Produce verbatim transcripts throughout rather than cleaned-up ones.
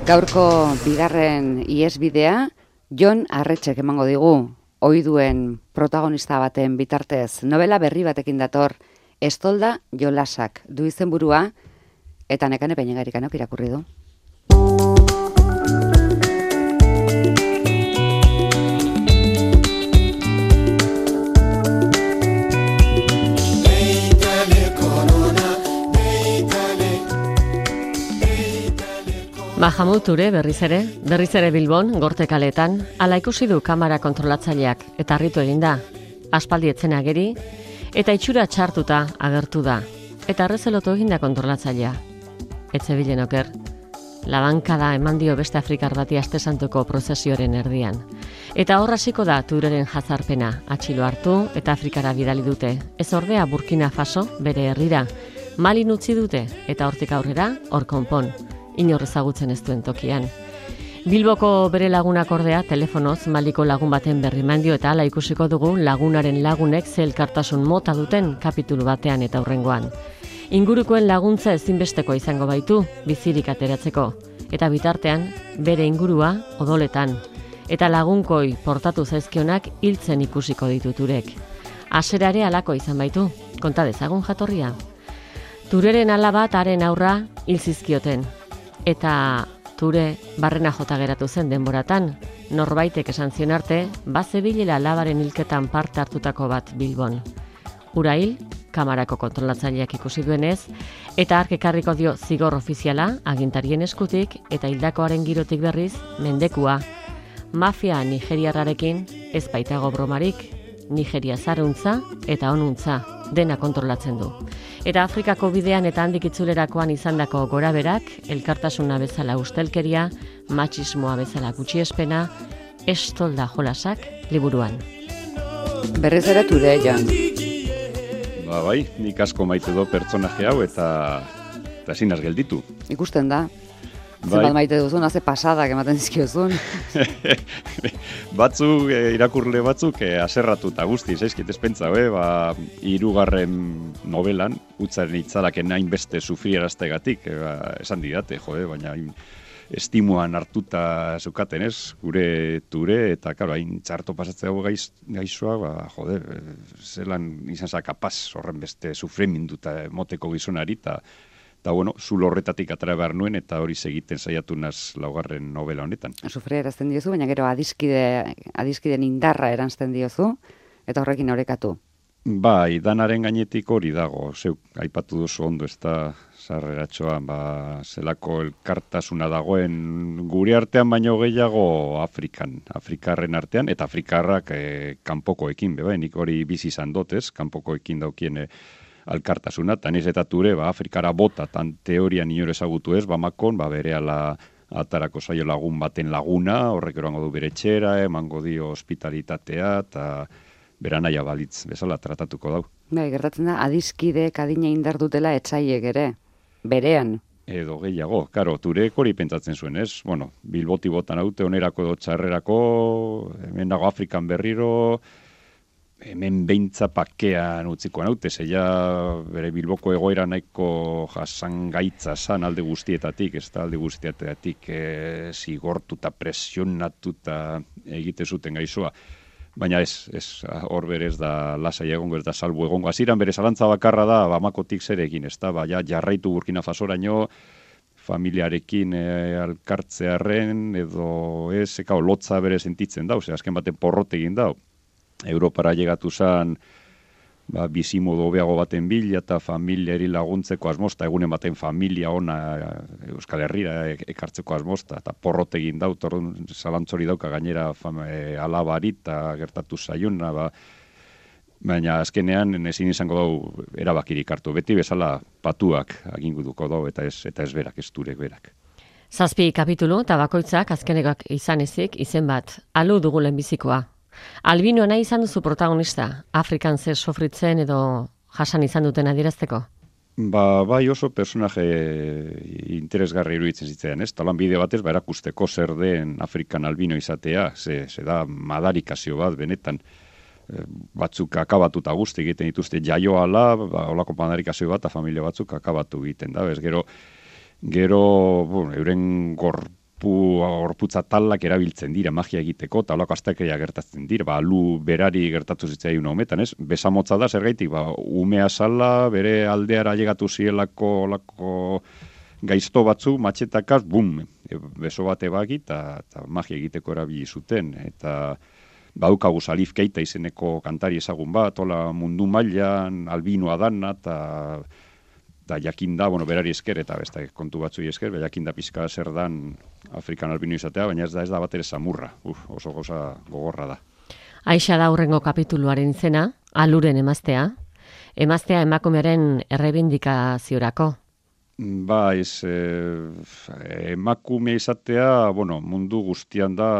Gaurko bigarren ihesbidea Jon Arretxek emango digu, ohiduen protagonista baten bitartez. Novela berri batekin dator, Estolda jolasak du izenburua, eta Nekane Peñegarikanok irakurri du. Mahamud Ture berriz ere, berriz ere Bilbon, Gorte kaleetan, ala ikusi du kamera kontrolatzaileak eta harritu eginda. Aspaldi etzen ageri, eta itxura txartuta agertu da. Eta arrezelotu eginda kontrolatzailea. Etze bilen oker, labankada eman dio beste Afrikar bati astesantuko prozesioaren erdian. Eta hor hasiko da Tureren jazarpena, atxilo hartu eta Afrikara bidali dute. Ez ordea Burkina Faso bere herrira, Malin utzi dute eta hortik aurrera hor konpon. Inor ezagutzen ez duen tokian. Bilboko bere lagunak ordea telefonoz Maliko lagun baten berri mandio eta hala ikusiko dugu lagunaren lagunek ze elkartasun mota duten kapitulu batean eta hurrengoan. Ingurukoen laguntza ezinbesteko izango baitu bizirik ateratzeko eta bitartean bere ingurua odoletan eta lagunkoi portatu zaizkionak hiltzen ikusiko ditu Turek. Haserare halako izan baitu, konta dezagun jatorria. Tureren alaba eta haren aurra hil zizkioten. Eta Ture barrena jota geratu zen denboratan, norbaitek esan zion arte, bazebilela alabaren hilketan parte hartutako bat Bilbon. Ura hil, kamarako kontrolatzaileak ikusi duenez, eta hark ekarriko dio zigor ofiziala agintarien eskutik eta hildakoaren girotik berriz mendekua. Mafia nigeriarrarekin ez baitago bromarik, Nigeria zaruntza eta onuntza dena kontrolatzen du. Eta Afrikako bidean eta handik itzulerakoan izandako goraberak, elkartasuna bezala ustelkeria, matxismoa bezala gutxiespena, Estolda jolasak liburuan. Berriz ere Ture, Jon. Ba bai, nik asko maite do pertsonaje hau eta eta ezin az gelditu. Ikusten da. Bai. Zenbat maite duzun, haze pasadak ematen dizkiozun. Batzuk, e, irakurle batzuk, e, aserratuta guzti, zaizkit espentza, e, ba, hirugarren novelan, utzaren itzalaken hainbeste sufriaraztegatik, e, ba, esan didate, jode, baina hain estimuan hartuta zukaten ez, gure Ture, eta, karo, hain txarto pasatzea gaiz, gaixoa, ba, jode, zelan izan za kapaz horren beste sufriminduta moteko gizonari, eta Eta, bueno, zulo horretatik atara behar nuen, eta hori segiten saiatu naz laugarren novela honetan. Sufria erazten diozu, baina gero adiskide, adiskiden indarra erantzten diozu, eta horrekin orekatu. Bai, danaren gainetik hori dago, zeuk, aipatu duzu ondo, ez da sarreratxoan, ba, zelako elkartasuna dagoen gure artean baino gehiago Afrikan, Afrikarren artean, eta Afrikarrak eh, kanpokoekin, beba, nik hori bizi izan dut, ez, kanpokoekin daukien, eh, alkartasuna, eta niz eta Ture, ba, Afrikara bota, tan teorian inor ezagutu ez, bamakon, ba, berehala atarako zaio lagun baten laguna, horrek eroango du bere txera, emango dio hospitalitatea, eta bera naia balitz bezala tratatuko dau. Bai, gertatzen da, adiskideek adina indar dutela etxaiek ere, berean. Edo gehiago, karo, Turek hori pentsatzen zuen, ez? Bueno, Bilboti botan haute, onerako edo txarrerako, hemen dago Afrikan berriro, hemen beintza pakean utzikoan haute, zeia bere Bilboko egoera nahiko jasan gaitza zan alde guztietatik, ez da alde guztietatik e, zigortuta, presionatuta egite zuten gaixoa. Baina ez, ez, hor berez da lasai egongo, ez da salbu egongo. Hasieran bere zalantza bakarra da, bamakotik zer egin, ez da, baina jarraitu Burkina Fasoraino, familiarekin e, alkartzearen, edo ez, eka lotza bere sentitzen da, ose, azken baten porrote egin da. Europara llegatu zan ba, bizimodu hobeago baten bila eta familiari laguntzeko asmosta, egunen baten familia ona Euskal Herrira ekartzeko asmosta, eta porrot egin dau, torrun zalantzori dauka gainera fam, e, alabari eta gertatu zaiuna, ba, baina azkenean ezin izango dau erabakirik hartu, beti bezala patuak aginguduko dau eta ez, eta ez berak, ez Turek berak. Zazpi kapitulu eta bakoitzak azkenekak izan ezik izen bat, alu dugu lehenbizikoa. Albino nahi izan duzu protagonista, Afrikan zer sofritzen edo jasan izan duten adierazteko? Ba, bai oso personaje interesgarri iruditzen zitzaidan, ez? Talan bide batez, ba, erakusteko zer den Afrikan albino izatea, ze, ze da madarikazio bat, benetan, batzuk akabatuta guzti egiten dituzte jaioala, ba, olako madarikazio bat, familia batzuk akabatu egiten da, ez? Gero, gero, bueno, euren gor gorpu, gorputza talak erabiltzen dira magia egiteko, eta holako astakeria gertatzen dira, ba, alu berari gertatu zitzaigun hometan, ez? Besamotza da, zergaitik, ba, umea sala, bere aldeara llegatu zielako olako gaizto batzu, matxetakaz, bum, e, beso bate bagi, eta magia egiteko erabili zuten, eta badaukagu Salif Keita izeneko kantari ezagun bat, hola mundu mailan albinoa dana, eta da jakinda, bueno, berari esker, eta beste kontu batzui esker, be jakinda pizka zer dan Afrikan albino izatea, baina ez da ez da bat ere samurra, uf, oso goza gogorra da. Aixa da hurrengo kapituluaren izena, aluren emaztea, emaztea emakumearen errebindikaziorako. Ba, ez, eh, emakume izatea, bueno, mundu guztian da,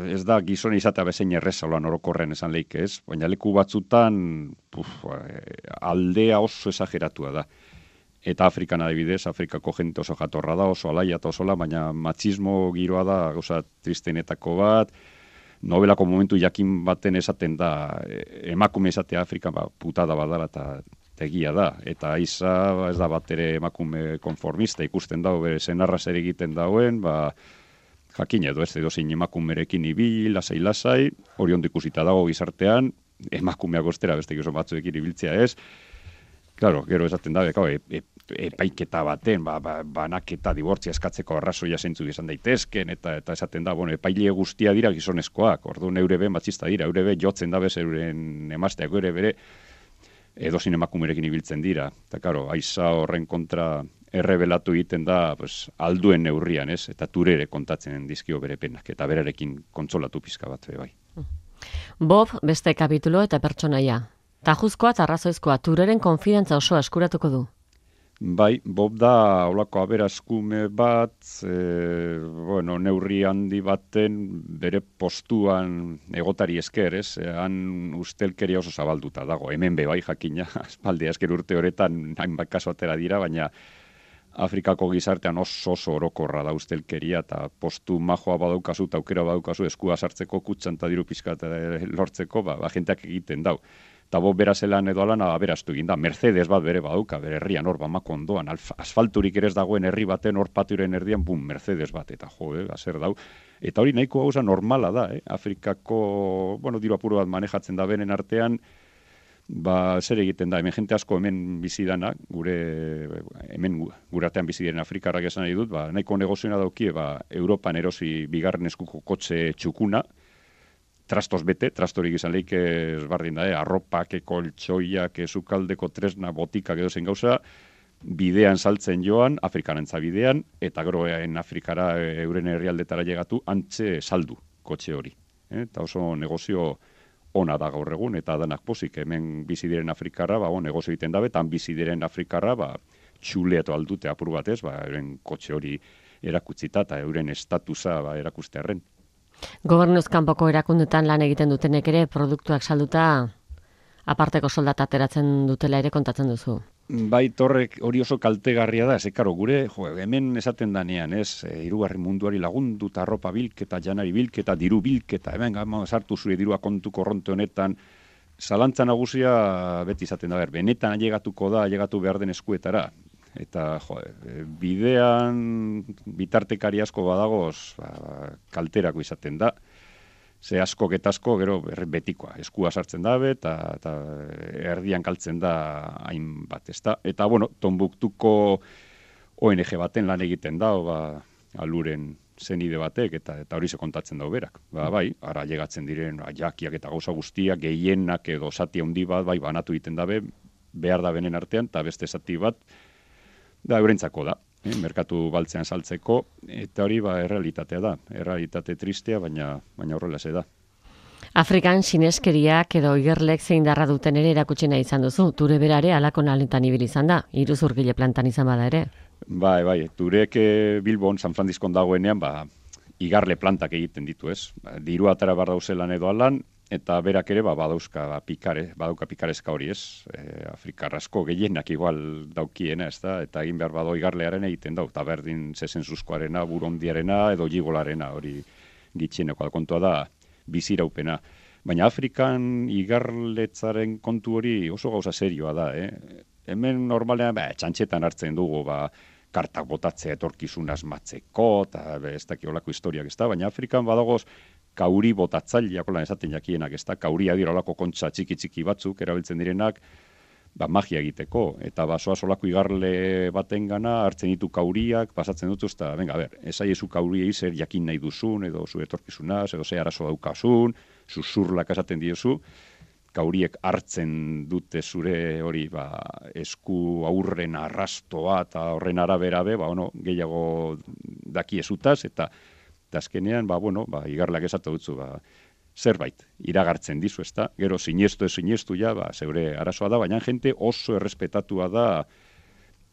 ez da gizone izatea bezein erreza loan orokorren esan leike ez, baina leku batzutan puf, aldea oso esageratua da. Eta Afrikan adibidez, Afrikako jente oso jatorra da, oso alaia eta osola, baina matxismo giroa da, gauza tristenetako bat, nobelako momentu jakin baten esaten da, emakume izatea Afrikan ba, putada badala eta egia da, eta Aiza ez da bat ere emakume konformista, ikusten dago bere senarra zer egiten dauen, ba, jakin edo ez edo zein emakumerekin ibil, lasai-lasai, hori ondo ikusita dago gizartean, emakumeak ostera beste gizon batzuekin ibiltzea ez, claro, gero esaten da, e, e, epaiketa baten, ba, ba, banaketa dibortzia eskatzeko arrazoia zentzu izan daitezken, eta eta esaten da, bueno, epaile guztia dira gizonezkoak, orduan eure be matxista dira, eure be jotzen da bez euren emazteak, eure bere edozin emakumerekin ibiltzen dira. Eta, karo, Aiza horren kontra errebelatu egiten da pues, alduen neurrian, ez? Eta turere kontatzen dizkio bere penak, eta berarekin kontsolatu pizka bat, bai. Bob, beste kapitulo eta pertsonaia. Tajuzkoa eta arrazoizkoa, tureren konfidantza osoa eskuratuko du. Bai, Bob da holako aberaskume bat, e, bueno, neurri handi baten bere postuan egotari esker, ez? Han ustelkeria oso zabalduta dago, hemen be bai jakina, aspaldi esker urte horetan hainbat kasu atera dira, baina Afrikako gizartean oso oso orokorra da ustelkeria, eta postu majoa badaukazu, eta aukera badaukazu eskua sartzeko kutxan eta diru pizka lortzeko, ba, ba jenteak egiten dau. Eta bo berazelan edo alana aberastu egin da. Mercedes bat bere badauka, bere herrian hor bamako ondoan, asfalturik ere ez dagoen herri baten hor patiuren erdian, bum, Mercedes bat, eta jo, eh, azer dau. Eta hori nahiko gauza normala da, eh? Afrikako, bueno, diru apuro bat manejatzen da benen artean, ba, zer egiten da, hemen jente asko hemen bizi dana, gure, hemen gure artean bizi diren Afrikarrak esan nahi dut, ba, nahiko negozioa daukie, ba, Europan erosi bigarren eskuko kotxe txukuna, trastos bete, trastorik izan leike esbardin da, eh? Arropak, koltsoiak, sukaldeko tresna, botikak edo zen gauza, bidean saltzen joan, Afrikarantza bidean, eta gero en Afrikara euren herrialdetara llegatu, antxe saldu kotxe hori. Eh? Eta oso negozio ona da gaur egun, eta danak pozik, hemen bizi diren Afrikarra, ba, bon, negozio egiten dabe, eta bizi diren Afrikarra, ba, txuleatu aldute apur batez, ba, euren kotxe hori erakutzita, eta euren estatusa ba, erakustearren. Gobernuz kanpoko erakundetan lan egiten dutenek ere produktuak salduta aparteko soldata ateratzen dutela ere kontatzen duzu. Bai, torrek hori oso kaltegarria da, zekaro gure, jo, hemen esaten danean, ez, e, hirugarren munduari lagundu eta arropa bilketa, janari bilketa, diru bilketa, hemen gama sartu zure dirua kontu korronte honetan, zalantza nagusia beti izaten da, ber, benetan ailegatuko da, ailegatu behar den eskuetara. Eta jo, bidean bitartekari asko badagoz ba, kalterako izaten da. Ze asko getazko gero betikoa, eskua sartzen dabe eta, eta erdian kaltzen da hainbat, ezta. Eta bueno, Tombuktuko O N G baten lan egiten da, ba, aluren zenide batek eta eta hori se kontatzen dau berak. Ba, bai, ara llegatzen diren jakiak eta gauza guztiak gehienak edo zati handi bat bai banatu egiten dabe, behar da benen artean eta beste zati bat da eurentzako da, eh? Merkatu baltzean saltzeko, eta hori ba errealitatea da, errealitate tristea, baina baina horrela ze da. Afrikan sineskeriak edo igerlek zein darra duten ere erakutsi nahi izan duzu, ture berare alako naletan ibil izan da, iruzurgile plantan izan bada ere. Bai, bai, turek Bilbon, San Franciscon dagoenean, ba, igarle plantak egiten ditu, ez? Diru atara bar dauzelan edo alan, eta berak ere ba, badauzka ba, pikare, badauka pikarezka hori, ez? E, Afrikar asko gehienak igual daukiena, ez da? Eta egin behar bado igarlearen egiten dau, eta berdin zezenzuzkoarena, burondiarena edo jigolarena hori gitxieneko kontua da biziraupena. Baina Afrikan igarletzaren kontu hori oso gauza serioa da, eh? Hemen normalean ba, txantxetan hartzen dugu, ba, kartak botatzea etorkizun asmatzeko, eta ez daki olako historiak ez da, baina Afrikan badagoz kauri botatzaileak, holan esaten jakienak ez da, kauria dira olako kontxa txiki-txiki batzuk, erabiltzen direnak, ba, magia egiteko, eta basoa solako igarle baten gana, hartzen ditu kauriak, pasatzen dut, eta, venga, ber, esaiezu kauriei zer jakin nahi duzun, edo zu etorkizunaz, edo ze arazo daukasun, susurlak esaten diozu, kauriek hartzen dute zure hori ba, esku aurren arrastoa eta horren arabera be, ba, ono, gehiago dakiezutaz, eta, eta azkenean, ba, bueno, ba, igarlak esatu dutzu, ba, zerbait, iragartzen dizu, ezta? Gero sinestu ez sinestu ja, ba, zeure arazoa da, baina jente oso errespetatua da,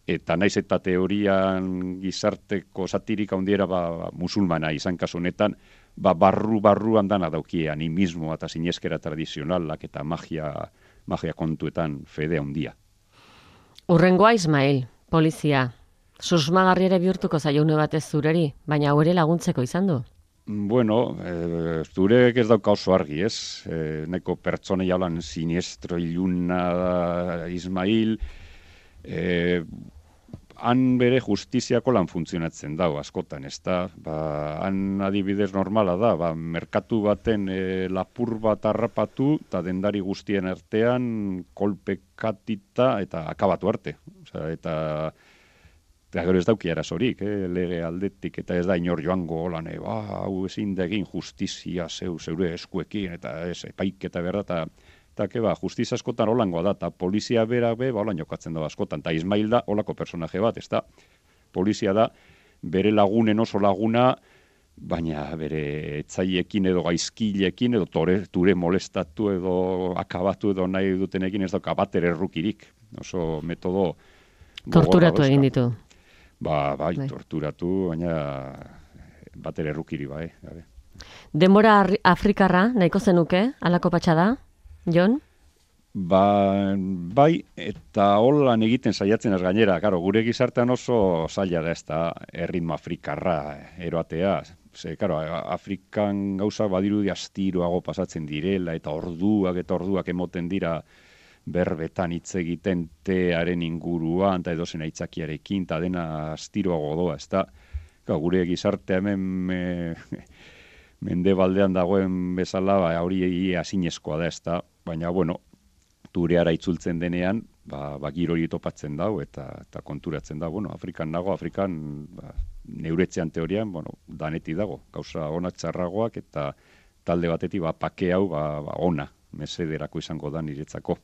eta naiz eta teorian gizarteko satirik handiera ba, musulmana izan kasu honetan, ba, barru-barruan dana daukie animismoa eta sineskera tradizionalak eta magia, magia kontuetan fede handia. Urrengoa Ismail, polizia. Susmagarri ere bihurtuko zaiune batez zureri, baina hau ere laguntzeko izan du. Bueno, e, zurek ez dauka oso argi, ez? E, nahiko pertsone jaulan siniestro iluna Ismail, e, han bere justiziako lan funtzionatzen dago askotan, ez da? Ba, han adibidez normala da, ba, merkatu baten e, lapur bat harrapatu, eta dendari guztien artean kolpekatita eta akabatu arte. Osea, eta... Eta gero ez dauki arazorik, eh, lege aldetik, eta ez da inor joango holan, e, ba, hau ezin da egin justizia zeu, zeure eskuekin, eta ez, epaiketa berda, eta, eta ke, ba, justizia askotan holangoa da, eta polizia berak be, ba, holan jokatzen da askotan, eta Ismail da holako personaje bat, ez da, polizia da, bere lagunen oso laguna, baina bere etzaiekin edo gaizkilekin, edo tore, ture molestatu edo akabatu edo nahi dutenekin ez dauka bater errukirik, oso metodo... Torturatu egin ditu. Ba, bai, bai, torturatu, baina bater errukiri, bai. Gabe. Denbora afrikarra, nahiko zenuke, alako patxada, Jon? Ba, bai, eta holan egiten saiatzen ez gainera, karo, gure gizartean oso zaila da ez da erritmo afrikarra eroatea. Ze, karo, Afrikan gauza badirudi astiroago pasatzen direla, eta orduak eta orduak emoten dira berbetan hitz egiten tearen inguruan, eta edozen aitzakiarekin, eta dena astiroago doa, ez da, gure gizartea hemen me, mendebaldean dagoen bezala, ba, hori azinezkoa da, ez da, baina, bueno, tureara itzultzen denean, ba, ba giro hori topatzen dau, eta, eta konturatzen da, bueno, Afrikan nago, Afrikan, ba, neuretzean teorian, bueno, daneti dago, gauza onak txarragoak, eta talde batetik, ba, pake hau, ba, ba, ona, mesederako izango da niretzako.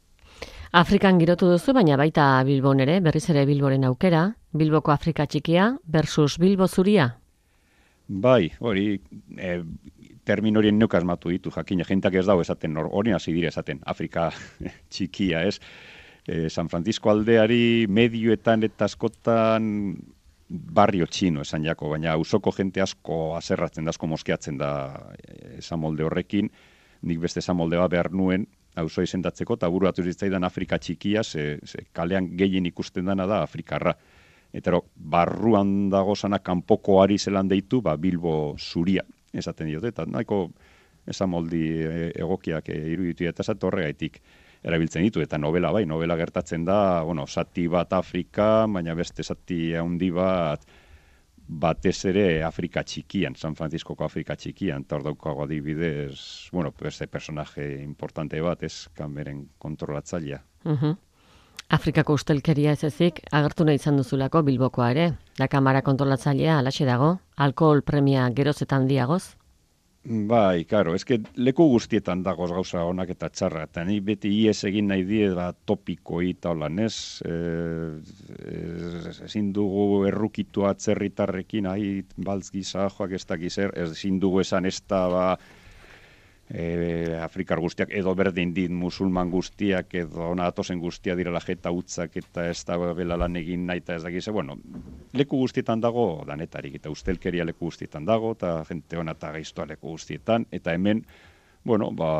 Afrikan girotu duzu, baina baita Bilbon ere, berriz ere Bilboren aukera, Bilboko Afrika txikia versus Bilbo zuria? Bai, hori, e, termin horien neuk asmatu ditu, jakina, jentak ez dago esaten, hori hasi dire esaten, Afrika txikia, ez? E, San Francisco aldeari medioetan eta askotan barrio txino esan jako, baina ausoko jente asko aserratzen da, asko moskeatzen da esan molde horrekin, nik beste esan molde bat behar nuen, auzo izendatzeko, eta bururatu zitzaidan Afrika txikia, ze, ze kalean gehien ikusten dana da Afrikarra. Eta ero, barruan dago zana kanpoko ari zelan deitu, ba, Bilbo zuria, esaten diote, eta nahiko esamoldi egokiak iruditu eta esat horregaitik erabiltzen ditu, eta novela bai, novela gertatzen da, bueno, zati bat Afrika, baina beste zati handi bat, batez ere Afrika txikian, San Franciscoko Afrika txikian, eta hor daukago adibidez, bueno, beste personaje importante bat, ez, kameren kontrolatzailea. Uh-huh. Afrikako ustelkeria ez ezik, agertu nahi izan duzulako Bilbokoa ere, da kamara kontrolatzailea alaxe dago, alkohol premia geroz eta handiagoz? Bai, karo, eske leku guztietan dagoz gauza onak eta txarra, eta ni beti ies egin nahi die da topikoi eta holan, ez? Ezin dugu errukitu atzerritarrekin, ahi, baltz gisa, joak ez dakiz er, ezin dugu esan ez da, ba, e, Afrikar guztiak, edo berdin dit musulman guztiak, edo natozen guztia direla jeta utzak, eta ez da bela lan egin nahi, eta ez dakiz, bueno, leku guztietan dago danetarik, eta ustelkeria leku guztietan dago, eta jente hona eta gaiztoa leku guztietan, eta hemen, bueno, ba,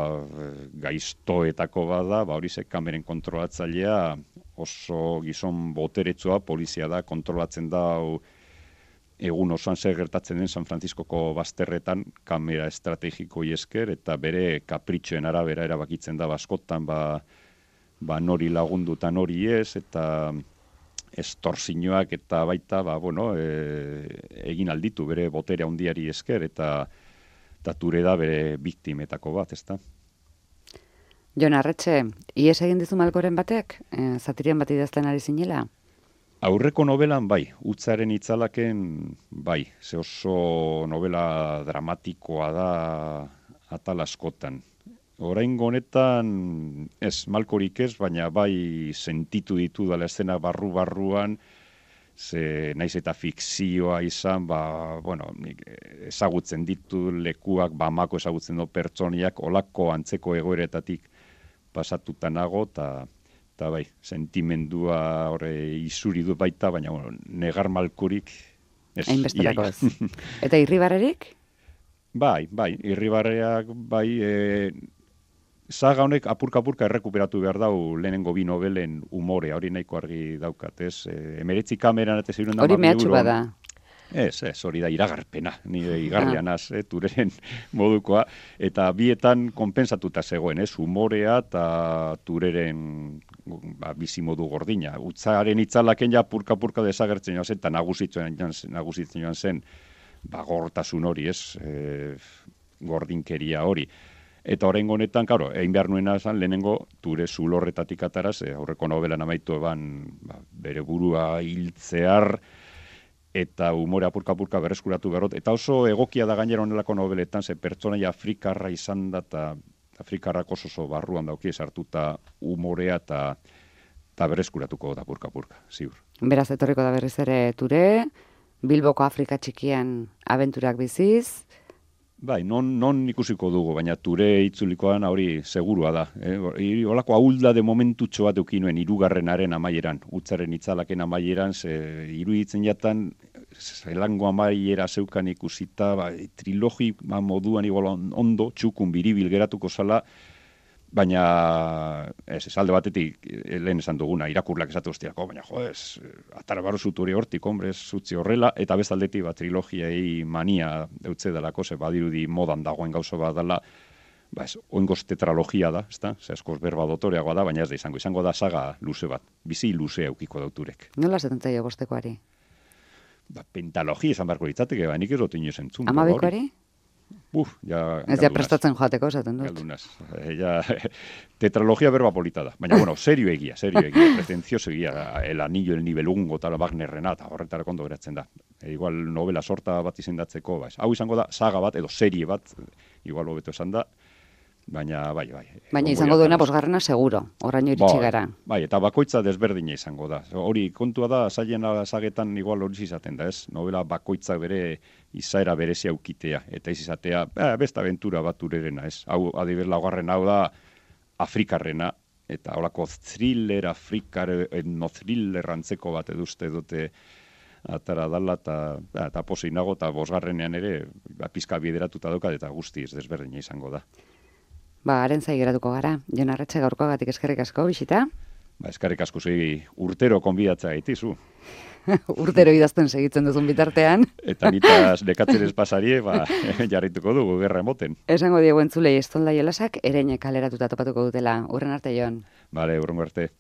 gaiztoetako bada, ba, hori ze kameren kontrolatzailea oso gizon boteretsua, polizia da, kontrolatzen da, egun osoan zer gertatzen den San Franciscoko bazterretan kamera estrategiko esker, eta bere kapritxoen arabera erabakitzen da baskotan, ba, ba nori lagundu eta nori ez, eta estortzinoak eta baita, ba, bueno, e, egin alditu bere botere handiari esker, eta, eta ture da bere biktimetako bat, ezta? Jon Arretxe, ies egin dizu Malkoren batek? E, zatirian bat idazten ari zinela? Aurreko novelan bai, Utzaren itzalaken bai, ze oso novela dramatikoa da atal askotan. Oraingo honetan ez Malkorik ez, baina bai sentitu ditu dela eszena barru-barruan, ze naiz eta fikzioa izan, ba, bueno, ezagutzen ditu lekuak, Bamako ezagutzen du pertsoniak, olako antzeko egoeretatik pasatuta nago, eta eta bai, sentimendua horre izuri du baita, baina bueno, negar Malkorik ez. Hainbesterako ez. Eta Irribarrerik? Bai, bai, Irribarreak bai, e, saga honek apurka-apurka errekuperatu behar dau lehenengo bi novelen umorea, hori nahiko argi daukat, ez? E, emeretzi kameran eta ziren hori mehatxu bada. Ez, ez, hori da iragarpena, nire igarrian az, eh, tureren modukoa, eta bietan konpensatuta zegoen, ez, umorea eta tureren ba, bizimodu gordina. Utzaren itzalaken ja purka-purka desagertzen joan zen, eta nagusitzen joan, nagusitzen joan zen, ba, gortasun hori, ez, e, gordinkeria hori. Eta horrengo honetan, karo, egin behar nuena esan, lehenengo ture zulorretatik ataraz, e, aurreko novelan amaitu eban ba, bere burua hiltzear, eta umore apurka-apurka berreskuratu berrot. Eta oso egokia da gainera honelako nobeletan, ze pertsonaia afrikarra izan da, eta afrikarrak oso oso barruan dauki sartuta umorea eta eta berreskuratuko da apurka-apurka, ziur. Beraz, etorriko da berriz ere ture, Bilboko Afrika txikian abenturak biziz. Bai, non, non ikusiko dugu, baina ture itzulikoan hori segurua da. Eh? Olako ahulda de momentutxo bat eukinuen irugarrenaren amaieran, Utzaren itzalaken amaieran, ze iruditzen jatan, zelango amaiera zeukan ikusita, ba, trilogi ba, moduan igual ondo, txukun biribil geratuko zala, baina ez, ez alde batetik lehen esan duguna, irakurlak esatu hostiako, baina jo, ez, atara barru zuturi hortik, hombre, ez zutzi horrela, eta bezaldetik ba, trilogiai mania deutze delako, ze badirudi modan dagoen gauza bat dela, ba ez, oingoz tetralogia da, ez da, ze askoz berba dotoreagoa da, baina ez da izango, izango da saga luze bat, bizi luze eukiko dauturek. Nola zetan zaio bostekoari? Ba, pentalogia izan barko ditzateke, ba, nik ez dut inoz entzun. Amabekoari? Uf, ja... Ez ja prestatzen joateko, esaten dut. Galdunaz. E, ja, tetralogia berba polita da. Baina, bueno, serio egia, serio egia, pretencioso egia, el anillo, el nibelungo, tal, Wagnerrena, eta horretara kondo geratzen da. E, igual novela sorta bat izendatzeko, ba, hau izango da, saga bat, edo serie bat, igual hobeto esan da, baina, bai, bai. Baina izango duena bosgarrena seguro, oraino iritsi gara. Bai, eta bakoitza desberdina izango da. Hori, kontua da, saiena sagetan igual hori izaten da, ez? Novela bakoitza bere izaera berezia ukitea, eta ez izatea, eh, besta aventura bat urerena, ez? Hau, adibidez, laugarren hau da, Afrikarrena, eta holako thriller, Afrikar, etno thriller antzeko bat eduzte dute atara dala, eta, eta posei nago, eta bosgarrenean ere, ba, pizka bideratuta daukat, eta guztiz desberdina izango da. Ba, haren zai geratuko gara. Jon Arretxe gaurkoagatik eskerrik asko, bisita? Ba, eskerrik asko zui urtero konbidatza gaitizu. Urtero idazten segitzen duzun bitartean. Eta nitaz dekatzen ez pasarie, ba, jarrituko dugu, gerra emoten. Esango diegu entzulei Estolda Jolasak ereinek kaleratuta topatuko dutela. Urren arte, Jon. Bale, urrengo arte.